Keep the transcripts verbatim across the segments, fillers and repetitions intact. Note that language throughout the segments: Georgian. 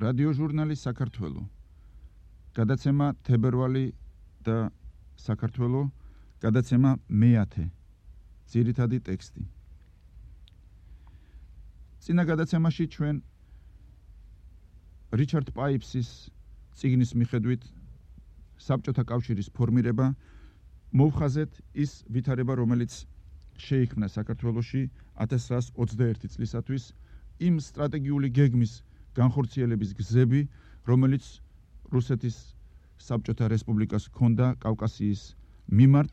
რადიოჟურნალი საქართველო. გადაცემა თებერვალი და საქართველო. გადაცემა მეათე. ძირითადი ტექსტი. წინა გადაცემაში ჩვენ რიჩარდ პაიფსის წიგნის მიხედვით საბჭოთა კავშირის ფორმირება მოვხაზეთ ის ვითარება, რომელიც შეიქმნა საქართველოში ათას ცხრაას ოცდაერთი წლისათვის, იმ სტრატეგიული გეგმის განხორციელების გზები, რომელიც რუსეთის საბჭოთა რესპუბლიკას ჰქონდა კავკასიის მიმართ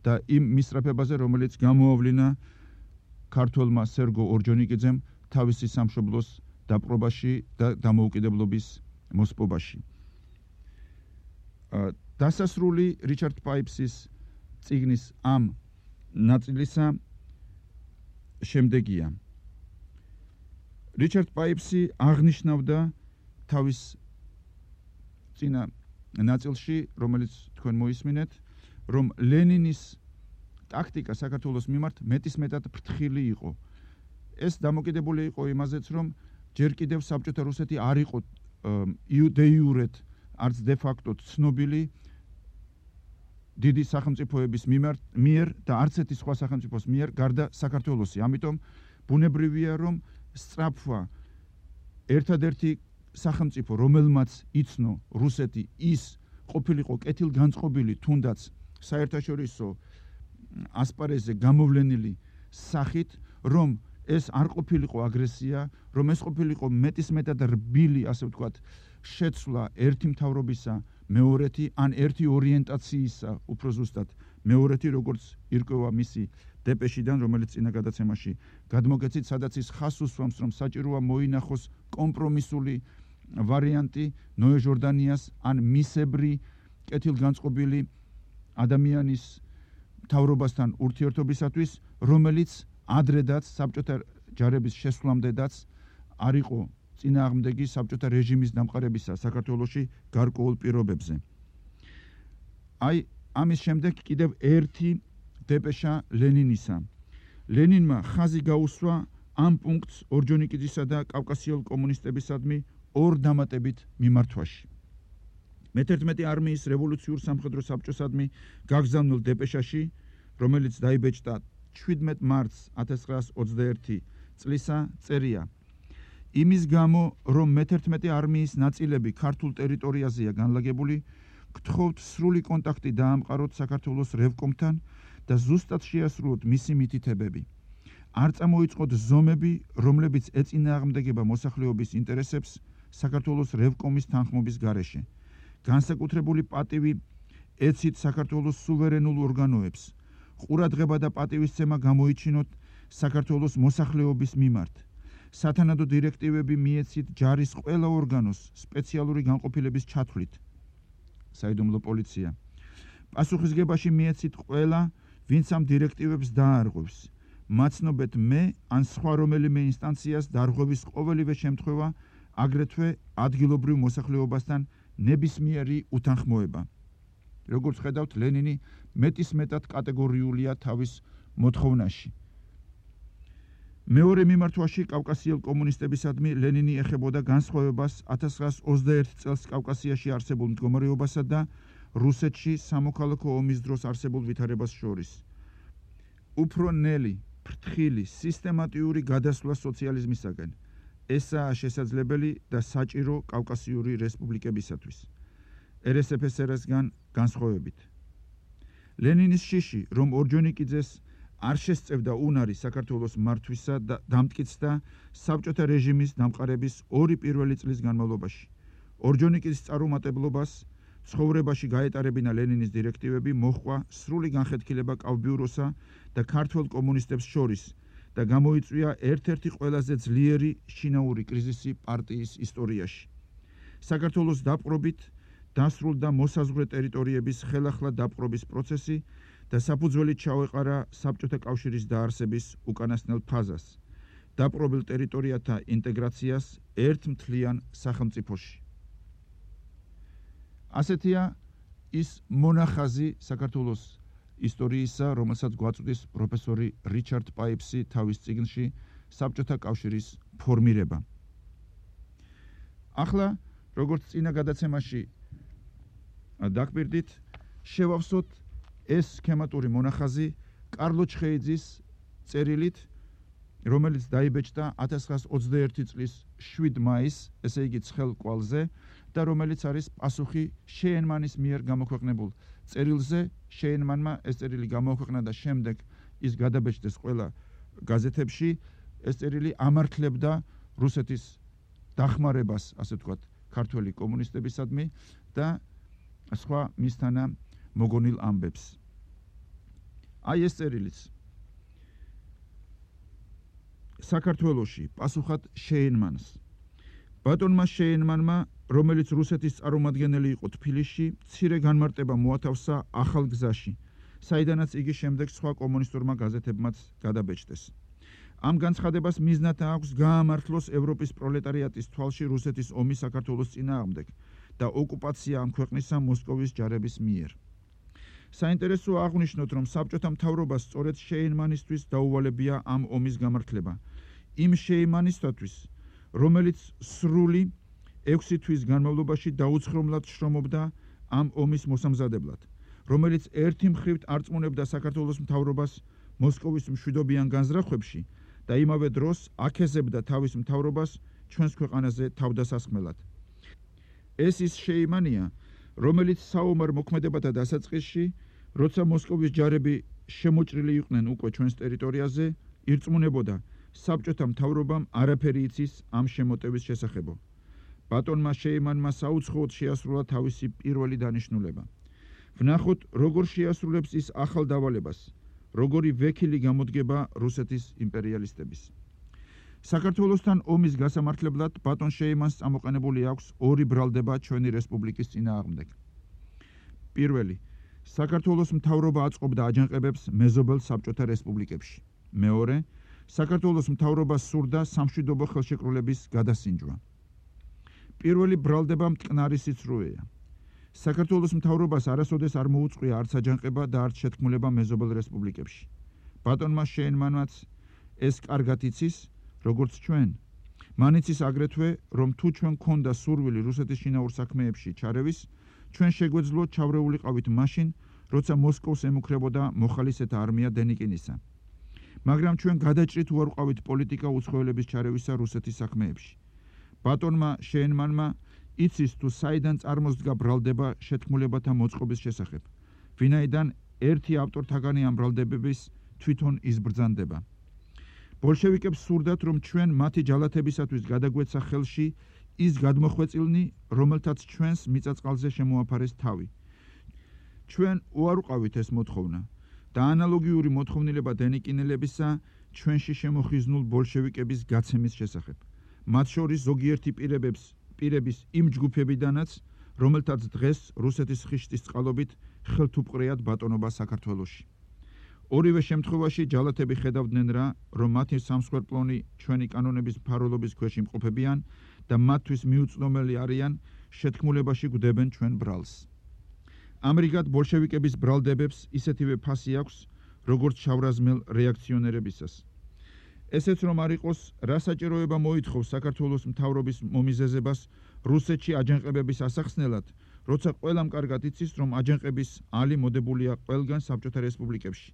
და იმ მისწრაფებაზე, რომელიც გამოავლინა ქართველმა სერგო ორჯონიკიძემ თავისი სამშობლოს დაპყრობაში და დამოუკიდებლობის მოსპობაში. დასასრული რიჩარდ პაიფსის წიგნის ამ ნაწილისა შემდეგია. რიჩარდ პაიფსი აღნიშნავდა თავის წინა ნაწილში, რომელიც თქვენ მოისმინეთ, რომ ლენინის ტაქტიკა საქართველოს მიმართ მეტისმეტად ფრთხილი იყო. ეს დამოკიდებული იყო იმაზეც, რომ ჯერ კიდევ საბჭოთა რუსეთი არ იყო დე იურეთ არც დე ფაქტო ცნობილი დიდი სახელმწიფოების მიერ და არც ერთი სხვა სახელმწიფოს მიერ გარდა საქართველოსი. ამიტომ ბუნებრივია, რომ სწრაფვა ერთადერთი სახელმწიფო, რომელმაც იცნო რუსეთი, ის ყოფილიყო კეთილგანწყობილი, თუნდაც საერთაშორისო ასპარეზზე გამოვლენილი სახით, რომ ეს არ ყოფილიყო აგრესია, რომ ეს ყოფილიყო მეტისმეტად რბილი, ასე ვთქვათ, შეცვლა ერთი მთავრობისა მეორეთი, ან ერთი ორიენტაციისა, უფრო ზუსტად მეორეთი, როგორც ირკვევა მისი დეპეშიდან, რომელიც წინა გადაცემაში გადმოგეცით, სადაც ის ხაზს უსვამს, რომ საჭიროა მოინახოს კომპრომისული ვარიანტი ნოე ჟორდანიას ან მისებრი კეთილგანწყობილი ადამიანის მთავრობასთან ურთიერთობისათვის, რომელიც ადრედაც საბჭოთა ჯარების შესვლამდედაც არ იყო წინააღმდეგი საბჭოთა რეჟიმის დამყარებისა საქართველოში გარკვეულ პირობებზე. აი, ამის შემდეგ კიდევ ერთი დეპეშა ლენინისა. ლენინმა ხაზი გაუსვა ამ პუნქტს ორჯონიკიძისა და კავკასიელ კომუნისტებისადმი ორ დამატებით მიმართვაში. მეთერთმეტე არმიის რევოლუციურ სამხედრო საბჭოსადმი გაგზავნილ დეპეშაში, რომელიც დაიბეჭდა შვიდმეტ მარტს ათას ცხრაას ოცდაერთი წლისა, წერია: იმის გამო, რომ მეთერთმეტე არმიის ნაწილები ქართულ ტერიტორიაზეა განლაგებული, გთხოვთ სრული კონტაქტი დაამყაროთ საქართველოს რევკომთან და ზუსტად შეასრულოთ მისი მითითებები. არ წამოიწყოთ ზომები, რომლებიც ეწინააღმდეგება მოსახლეობის ინტერესებს საქართველოს რევკომის თანხმობის გარეშე. განსაკუთრებული პატივი ეცით საქართველოს სუვერენულ ორგანოებს. ყურადღება და პატივისცემა გამოიჩინოთ საქართველოს მოსახლეობის მიმართ. სათანადო დირექტივები მიეცით ჯარის ყველა ორგანოს სპეციალური განყოფილების ჩათვლით. საიდუმლო პოლიცია. პასუხისგებაში მიეცით ყველა, ვინც ამ დირექტივებს დაარღვევს. მაცნობეთ მე ან სხვა რომელიმე ინსტანციას დარღვევის ყოველივე შემთხვევა, აგრეთვე ადგილობრივ მოსახლეობასთან ნებისმიერი უთანხმოება. როგორც ხედავთ, ლენინი მეტისმეტად კატეგორიულია თავის მოთხოვნაში. მეორე მიმართვაში კავკასიელ კომუნისტებისადმი ლენინი ეხებოდა განსხვავებას ათას ცხრაას ოცდაერთი წელს კავკასიაში არსებულ მდგომარეობასა და რუსეთში სამოქალაქო ომის დროს არსებულ ვითარებას შორის. უფრო ნელი, ფრთხილი, სისტემატიური გადასვლა სოციალიზმისაგან. ესაა შესაძლებელი და საჭირო კავკასიური რესპუბლიკებისათვის. er es efe es er-სგან განსხვავებით. ლენინის შიში, რომ ორჯონიკიძეს არ შესწევდა უნარი საქართველოს მართვისა და დამტკიცდა საბჭოთა რეჟიმის დამყარების ორი პირველი წლის განმავლობაში. ორჯონიკიძის წარუმატებლობას ცხოვრებაში გაეტარებინა ლენინის დირექტივები მოჰყვა სრული განხეთქილება კავბიუროსა და ქართველ კომუნისტებს შორის და გამოიწვია ერთ-ერთი ყველაზე ძლიერი შინაური კრიზისი პარტიის ისტორიაში. საქართველოს დაპყრობით დასრულდა მოსაზღვრე ტერიტორიების ხელახლა დაპყრობის პროცესი და საფუძველი ჩაუეყარა საბჭოთა კავშირის დაარსების უკანასკნელ ფაზას, დაპყრობილ ტერიტორიათა ინტეგრაციას ერთ მთლიან სახელმწიფოში. ასეთია ის მონახაზი საქართველოს ისტორიისა, რომელსაც გვაწვდის პროფესორი რიჩარდ პაიფსი თავის წიგნში საბჭოთა კავშირის ფორმირება. ახლა როგორც წინა გადაცემაში დაგპირდით, შევავსოთ ეს სქემატური მონახაზი კარლო ჩხეიძის წერილით, რომელიც დაიბეჭდა ათას ცხრაას ოცდაერთი წლის შვიდ მაისს, ესე იგი ცხელ კვალზე და რომელიც არის პასუხი შეენმანის მიერ გამოქვეყნებულ წერილზე. შეენმანმა ეს წერილი გამოქვეყნა და შემდეგ ის გადაბეჭდეს ყველა გაზეთებში. ეს წერილი ამართლებდა რუსეთის დახმარებას, ასე ვთქვათ, ქართველი კომუნისტებისადმი და სხვა მისთანა მოგონილ ამბებს. აი ეს წერილიც საქართველოში პასუხად შეენმანს. ბატონმა შეენმანმა, რომელიც რუსეთის წარმომადგენელი იყო თბილისში, მცირე განმარტება მოათავსა ახალ გზაში, საიდანაც იგი შემდეგ სხვა კომუნისტურმა გაზეთებმაც გადაბეჭდეს. ამ განცხადებას მიზნად აქვს გაამართლოს ევროპის პროლეტარიატის თვალში რუსეთის ომი საქართველოს წინააღმდეგ და ოკუპაცია ამ ქვეყნისა მოსკოვის ჯარების მიერ. საინტერესოა აღვნიშნოთ, რომ საბჭოთა მთავრობას სწორედ შეენმანისთვის დაუვალებია ამ ომის გამართლება. იმ შეენმანისათვის, რომელიც სრული ექვსი თვის განმავლობაში დაუცხრომლად შრომობდა ამ ომის მოსამზადებლად, რომელიც ერთი მხრივ არწმუნებდა საქართველოს მთავრობას მოსკოვის მშვიდობიან განზრახვებში და იმავე დროს აქეზებდა თავის მთავრობას ჩვენს ქვეყანაზე თავდასასხმელად. ეს ის შეიმანია, რომელიც საომარ მოქმედებათა დასაწყისში, როცა მოსკოვის ჯარები შემოჭრილი იყვნენ უკვე ჩვენს ტერიტორიაზე, ირწმუნებოდა საბჭოთა მთავრობამ არაფერი იცის ამ შემოტევის შესახებო. ბატონმა შეიმანმა საუცხოოდ შეასრულა თავისი პირველი დანიშნულება. ვნახოთ, როგორ შეასრულებს ის ახალ დავალებას, როგორი ვექილი გამოდგება რუსეთის იმპერიალისტების. საქართველოსთან ომის გასამართლებლად ბატონ შეიმანს წამოყენებული აქვს ორი ბრალდება ჩვენი რესპუბლიკის წინააღმდეგ. პირველი, საქართველოს მთავრობა აწყობდა აჯანყებებს მეზობელ საბჭოთა რესპუბლიკებში. მეორე, საქართველოს მთავრობას სურდა სამშვიდობო ხელშეკრულების გადასინჯვა. პირველი ბრალდება მტკნარი სიცრუეა. საქართველოს მთავრობას არასოდეს არ მოუწყვია არც აჯანყება და არც შეთქმულება მეზობელ რესპუბლიკებში. ბატონმა შეენმანმაც ეს კარგად იცის, როგორც ჩვენ. მან იცის აგრეთვე, რომ თუ ჩვენ გქონდა სურვილი რუსეთის შინაურ საქმეებში ჩარევის, ჩვენ შეგვეძლო ჩავრეულიყავით მაშინ, როცა მოსკოვს ემუქრებოდა მოხალისეთა არმია დენიკინისა. მაგრამ ჩვენ გადაჭრით უარ ვყავით პოლიტიკა უცხოელების ჩარევისა რუსეთის საქმეებში. ბატონმა შეენმანმა იცის თუ საიდან წარმოსდგა ბრალდება შეთქმულებათა მოწყობის შესახებ, ვინაიდან ერთი ავტორთაგანი ამ ბრალდებების თვითონ იზბრძანდება. ბოლშევიკებს სურდათ, რომ ჩვენ მათი ჯალათებისათვის გადაგვეცა ხელში ის გადმოხვეწილნი, რომელთაც ჩვენს მიწაწყალზე შემოაფარეს თავი. ჩვენ უარ ვყავით ეს მოთხოვნა და ანალოგიური მოთხოვნილება დენიკინელებისა ჩვენში შემოხიზნულ ბოლშევიკების გაცემის შესახებ. მათ შორის ზოგიერთი პირებებს პირების იმ ჯგუფებიდანაც, რომელთაც დღეს რუსეთის ხიშტის წყალობით ხელთუპყრეად ბატონობა საქართველოში. ორივე შემთხვევაში ჯალათები ხედავდნენ რა, რომ მათი სამსხვერპლონი ჩვენი კანონების მფარველობის ქვეშ იმყოფებიან და მათთვის მიუწვდომელი არიან შეთქმულებაში გვდებენ ჩვენ ბრალს. ამრიგად ბოლშევიკების ბრალდებებს ისეთივე ფასი აქვს, როგორც შავრაზმელ რეაქციონერებისას. ესეც რომ არ იყოს, რა საჭიროება მოითხოვს საქართველოს მთავრობის მომიზეზებას რუსეთში აჯანყებების ასახსნელად, როცა ყველამ კარგად იცის, რომ აჯანყების ალი მოდებულია ყველგან საბჭოთა რესპუბლიკებში,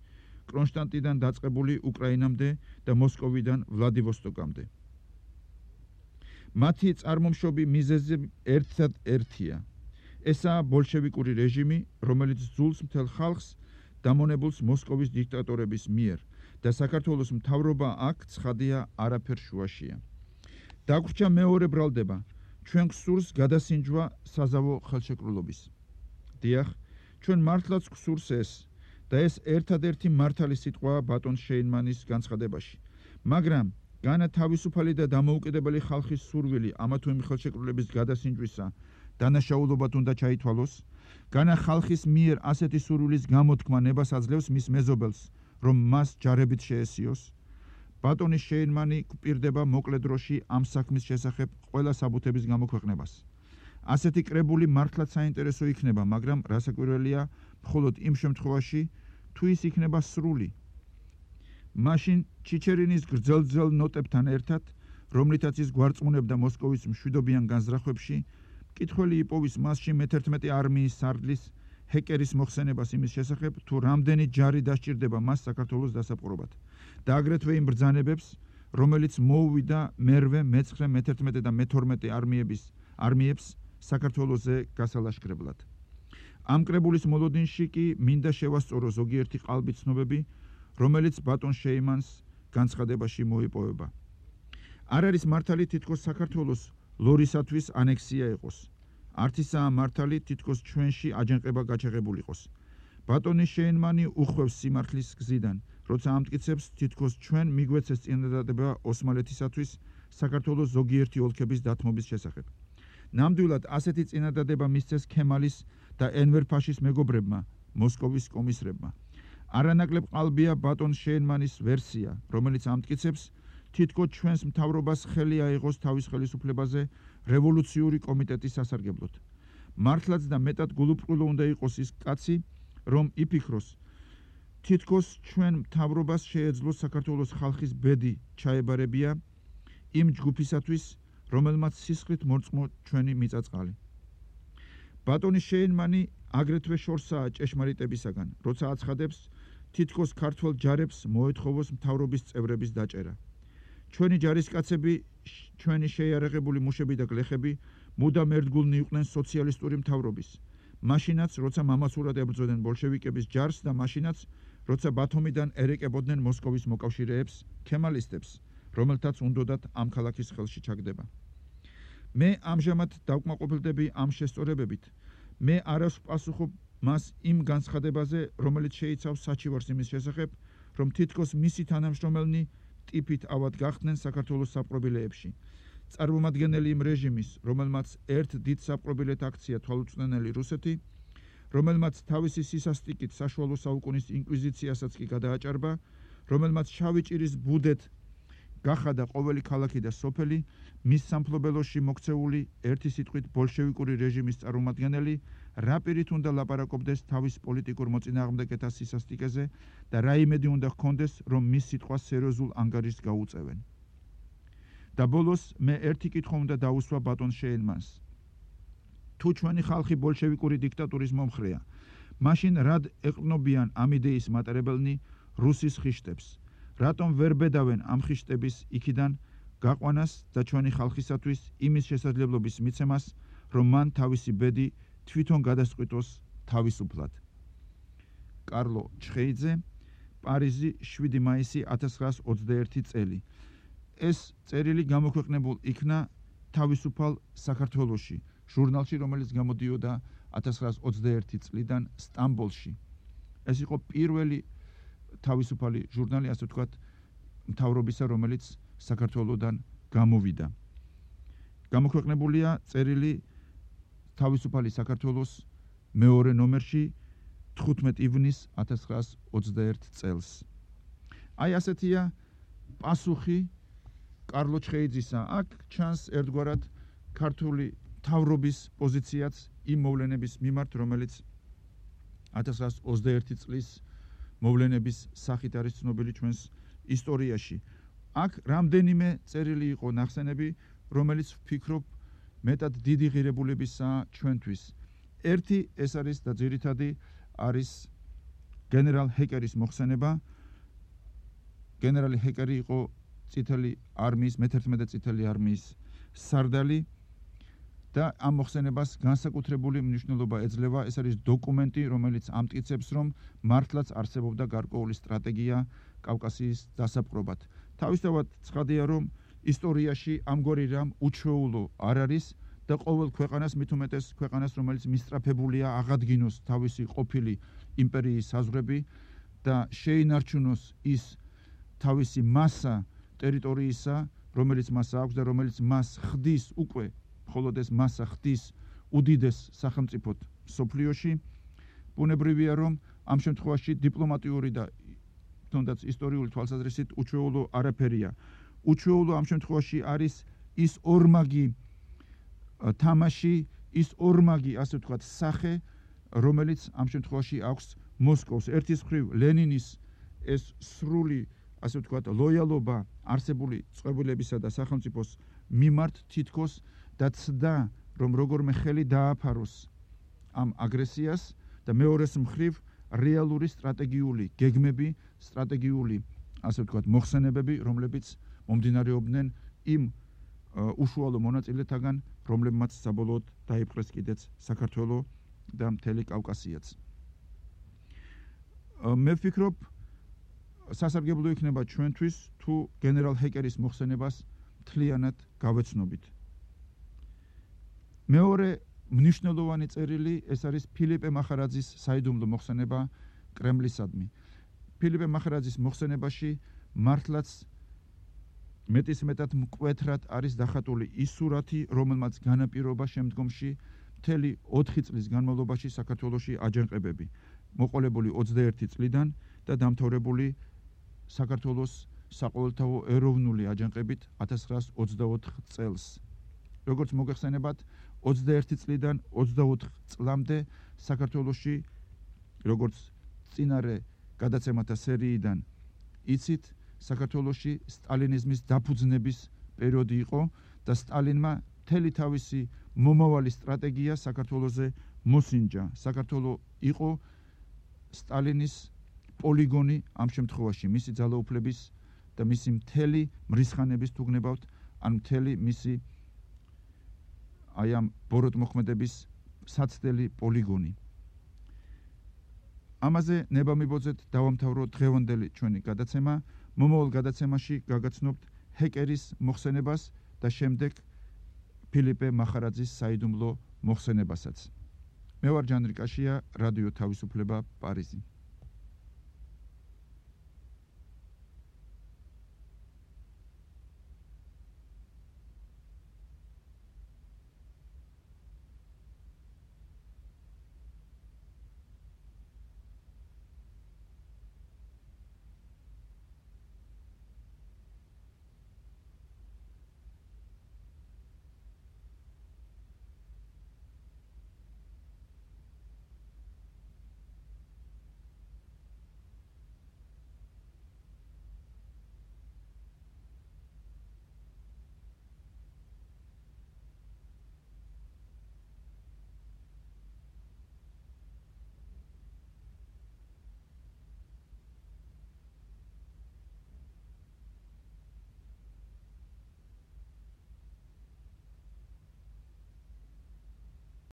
კრონშტადტიდან დაწყებული უკრაინამდე და მოსკოვიდან ვლადივოსტოკამდე. მათი წარმომშობი მიზეზი ერთად ერთია. ესაა ბოლშევიკური რეჟიმი, რომელიც ძულს მთელ ხალხს დამონებულს მოსკოვის დიქტატორების მიერ და საქართველოს მთავრობა აქ ცხადია არაფერ შუაშია. დაგვრჩა მეორე ბრალდება, ჩვენ გსურს გადასინჯვა საზავო ხელშეკრულობის. დიახ, ჩვენ მართლაც გსურს ეს და ეს ერთადერთი მართალი სიტყვაა ბატონ შეინმანის განცხადებაში. მაგრამ განა თავისუფალი და დამოუკიდებელი ხალხის სურვილი ამა თუ იმ ხელშეკრულების გადასინჯვისა დანაშაულობად უნდა ჩაითვალოს, განა ხალხის მიერ ასეთი სურვილის გამოთქმა ნებას აძლევს მის მეზობელს, რომ მას ჯარებით შეესიოს, ბატონის შეინმანი გვპირდება მოკლე დროში ამ საქმის შესახებ ყველა საბუთების გამოქვეყნებას. ასეთი კრებული მართლაც საინტერესო იქნება, მაგრამ რასაკვირველია, მხოლოდ იმ შემთხვევაში, თუ ის იქნება სრული. მაშინ ჩიჩერინის გრძელ-გრძელ ნოტებთან ერთად რომლითაც ის გვარწმუნებდა მოსკოვის მშვიდობიან განზრახვებში, მკითხველი იპოვის მასში მეთერთმეტე არმიის სარდლის ჰეკერის მოხსენებას იმის შესახებ, თუ რამდენი ჯარი დასჭირდება მას საქართველოს დასაპყრობად და აგრეთვე იმ ბრძანებებს, რომელიც მოუვიდა მერვე, მეცხრე, მეთერთმეტე და მეთორმეტე არმიების არმიებს საქართველოზე გასალაშქრებლად. ამ კრებულის მოლოდინში კი მინდა შევასწორო ზოგიერთი ყალბი ცნობები, რომელიც ბატონ შეიმანს განცხადებაში მოიპოვება. არ არის მართალი თითქოს საქართველოს ლორისათვის ანექსია იყოს. არც ისაა მართალი თითქოს ჩვენში აჯანყება გაჩაღებულიყოს. ბატონი შეინმანი უხვევს სიმართლის გზიდან, როცა ამტკიცებს თითქოს ჩვენ მიგვეცეს წინადადება ოსმალეთისათვის საქართველოს ზოგიერთი ოლქების დათმობის შესახებ. ნამდვილად ასეთი წინადადება მისცეს ქემალის და ენვერ ფაშის მეგობრებმა, მოსკოვის კომისრებმა. არანაკლებ ყალბია ბატონ შეინმანის ვერსია, რომელიც ამტკიცებს თითქოს ჩვენს მთავრობას ხელი აიღოს თავის ხელისუფლებაზე რევოლუციური კომიტეტის სასარგებლოდ. მართლაც და მეტად გულუბრყვილო უნდა იყოს ის კაცი, რომ იფიქროს თითქოს ჩვენ მთავრობას შეეძლოს საქართველოს ხალხის ბედი ჩაებარებია იმ ჯგუფისათვის, რომელმაც სისხლით მორწმო ჩვენი მიწაწყალი. ბატონი შეინმანი აგრეთვე შორსაა ჭეშმარიტებისაგან, როცა აცხადებს თითქოს ქართველ ჯარებს მოეთხოვოს მთავრობის წევრების დაჭერა. ჩვენი ჯარისკაცები, ჩვენი შეიარაღებული მუშები და გლეხები მუდამ ერთგულნი იყვნენ სოციალისტური მთავრობის. მაშინაც, როცა მამაცურად ებრძოდნენ ბოლშევიკების ჯარს და მაშინაც, როცა ბათუმიდან ერეკებოდნენ მოსკოვის მოკავშირეებს, ქემალისტებს, რომელთაც უნდოდათ ამ ქალაქის ხელში ჩაგდება. მე ამჟამად დავკმაყოფილდები ამ შესწორებებით. მე არ ვპასუხობ მას იმ განცხადებაზე, რომელიც შეიცავს საჩივარს იმის შესახებ, რომ თითქოს მისი თანამშრომელნი ტიპით ავად გახდნენ საქართველოს საპყრობილეებში. წარმომადგენელი იმ რეჟიმის, რომელმაც ერთ დიდ საპყრობილეთ აქცია თვალუწვდენელი რუსეთი, რომელმაც თავისი სისასტიკით საშუალო საუკუნის ინკვიზიციასაც კი გადააჭარბა, რომელმაც შავი ჭირის ბუდეთ გახადა ყოველი ქალაქი და სოფელი, მის სამფლობელოში მოქცეული ერთი სიტყვით ბოლშევიკური რეჟიმის წარმომადგენელი, რა პირით უნდა ლაპარაკობდეს თავის პოლიტიკურ მოწინააღმდეგეთა სისასტიკეზე და რა იმედი უნდა ჰქონდეს, რომ მის სიტყვას სერიოზულ ანგარიშს გაუწევენ. და ბოლოს მე ერთი კითხვა უნდა დაუსვა ბატონ შეინმანს. თუ ჩვენი ხალხი ბოლშევიკური დიქტატურის მომხრეა, მაშინ რად ეყრდნობიან ამ იდეის მატარებელნი რუსის ხიშტებს? რატომ ვერ ბედავენ ამ ხიშტების იქიდან გაყვანას და ჩვენი ხალხისათვის იმის შესაძლებლობის მიცემას, რომ მან თავისი ბედი თვითონ გადასწყვიტოს თავისუფლად? კარლო ჩხეიძე, პარიზი, შვიდი მაისი ათას ცხრაას ოცდაერთი წელი. ეს წერილი გამოქვეყნებულ იქნა თავისუფალ საქართველოში, ჟურნალში, რომელიც გამოდიოდა ათას ცხრაას ოცდაერთი წლიდან სტამბოლში. ეს იყო პირველი თავისუფალი ჟურნალი, ასე ვთქვათ, მთავრობისა, რომელიც საქართველოდან გამოვიდა. გამოქვეყნებულია წერილი თავისუფალი საქართველოს მეორე ნომერში თხუთმეტი ივნის ათას ცხრაას ოცდაერთი წელს. აი ასეთია პასუხი კარლო ჩხეიძისა. აქ ჩანს ერთგვარად ქართული მთავრობის პოზიციაც იმ მოვლენების მიმართ, რომელიც ათას ცხრაას ოცდაერთი წლის მოვლენების სახით არის ცნობილი ჩვენს ისტორიაში. აქ რამდენიმე წერილი იყო ნახსენები, რომელიც ვფიქრობ მეტად დიდი ღირებულებისაა ჩვენთვის. ერთი ეს არის და ძირითადი არის გენერალ ჰეკერის მოხსენება. გენერალი ჰეკერი იყო წითელი არმიის, მეთერთმეტე წითელი არმიის სარდალი და ამ მოხსენებას განსაკუთრებული მნიშვნელობა ეძლევა. ეს არის დოკუმენტი, რომელიც ამტკიცებს, რომ მართლაც არსებობდა გარკვეული სტრატეგია კავკასიის დასაპყრობად. თავისთავად ცხადია, რომ ისტორიაში ამგვარი რამ უჩვეულო არ არის და ყოველ ქვეყანას, მით უმეტეს ქვეყანას, რომელიც მისწრაფებულია აღადგინოს თავისი ყოფილი იმპერიის საზღვრები და შეინარჩუნოს ის თავისი მასა ტერიტორიისა, რომელიც მას აქვს და რომელიც მას ხდის უკვე, მხოლოდ ეს მასა ხდის უდიდეს სახელმწიფოდ მსოფლიოში, ბუნებრივია, რომ ამ შემთხვევაში დიპლომატიური და თუნდაც ისტორიული თვალსაზრისით უჩვეულო არაფერია. უჩვეულო ამ შემთხვევაში არის ის ორმაგი თამაში, ის ორმაგი, ასე ვთქვათ, სახე, რომელიც ამ შემთხვევაში აქვს მოსკოვს. ერთის მხრივ ლენინის ეს სრული, ასე ვთქვათ, ლოიალობა არსებული წყობილებისა და სახელმწიფოს მიმართ თითქოს და ცდა, რომ როგორმე ხელი დააფაროს ამ აგრესიას და მეორეს მხრივ რეალური სტრატეგიული გეგმები, სტრატეგიული, ასე ვთქვათ, მოხსენებები, რომლებიც მომდინარეობდნენ იმ უშუალო მონაწილეთაგან, რომლებმაც საბოლოოდ დაიპყრეს კიდეც საქართველო და მთელი კავკასიაც. მე ვფიქრობ, სასარგებლო იქნება ჩვენთვის, თუ გენერალ ჰეკერის მოხსენებას მთლიანად გავეცნობით. მეორე მნიშვნელოვანი წერილი ეს არის ფილიპე მახარაძის საიდუმლო მოხსენება კრემლისადმი. ფილიპე მახარაძის მოხსენებაში მართლაც მეტისმეტად მკვეთრად არის დახატული ის სურათი, რომელმაც განაპირობა შემდგომში მთელი ოთხი წლის განმავლობაში საქართველოში აჯანყებები, მოყოლებული ოცდაერთი წლიდან და დამთავრებული საქართველოს საყოველთაო ეროვნული აჯანყებით ათას ცხრაას ოცდაოთხ წელს. როგორც მოგეხსენებათ, ოცდაერთი წლიდან ოცდაოთხ წლამდე საქართველოში, როგორც წინარე გადაცემათა სერიიდან იცით, საქართველოში სტალინიზმის დაფუძნების პერიოდი იყო და სტალინმა მთელი თავისი მომავალი სტრატეგია საქართველოზე მოსინჯა. საქართველო იყო სტალინის პოლიგონი ამ შემთხვევაში, მისი ძალაუფლების და მისი მთელი მრისხანების თუ გნებავთ, ან მთელი მისი აი ამ ბოროტმოქმედების საცდელი პოლიგონი. ამაზე ნება მიბოძეთ დავამთავრო დღევანდელი ჩვენი გადაცემა. მომავალ გადაცემაში გაგაცნობთ ჰეკერის მოხსენებას და შემდეგ ფილიპე მახარაძის საიდუმლო მოხსენებასაც. მე ვარ ჯანრი კაშია, რადიო თავისუფლება, პარიზი.